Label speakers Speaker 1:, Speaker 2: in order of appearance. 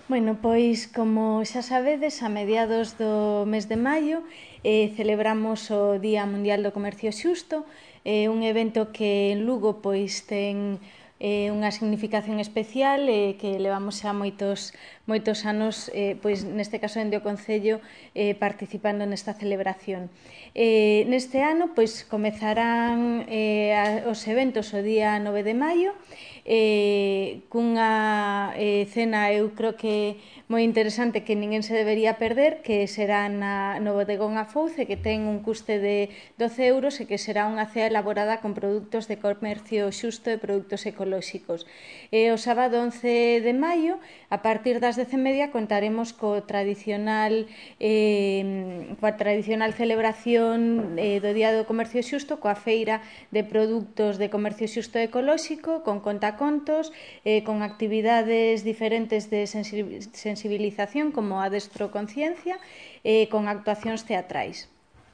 Speaker 1: Bueno, pois, como xa sabedes, a mediados do mes de maio celebramos o Día Mundial do Comercio Xusto, un evento que en Lugo pois ten unha significación especial que levamos xa moitos anos, pois neste caso dende o Concello, participando nesta celebración. Neste ano pois comezarán os eventos o día 9 de maio, cunha cena eu creo que moi interesante que ninguén se debería perder, que será no bodegón Afouce, que ten un custe de 12 euros e que será unha cea elaborada con produtos de comercio xusto e produtos ecolóxicos. O sábado 11 de maio, a partir das 10:30, contaremos coa tradicional celebración do Día do Comercio Xusto, coa feira de produtos de comercio xusto e ecolóxico, con contacontos, con actividades diferentes de sensibilización como a Adestro Conciencia, con actuacións teatrais.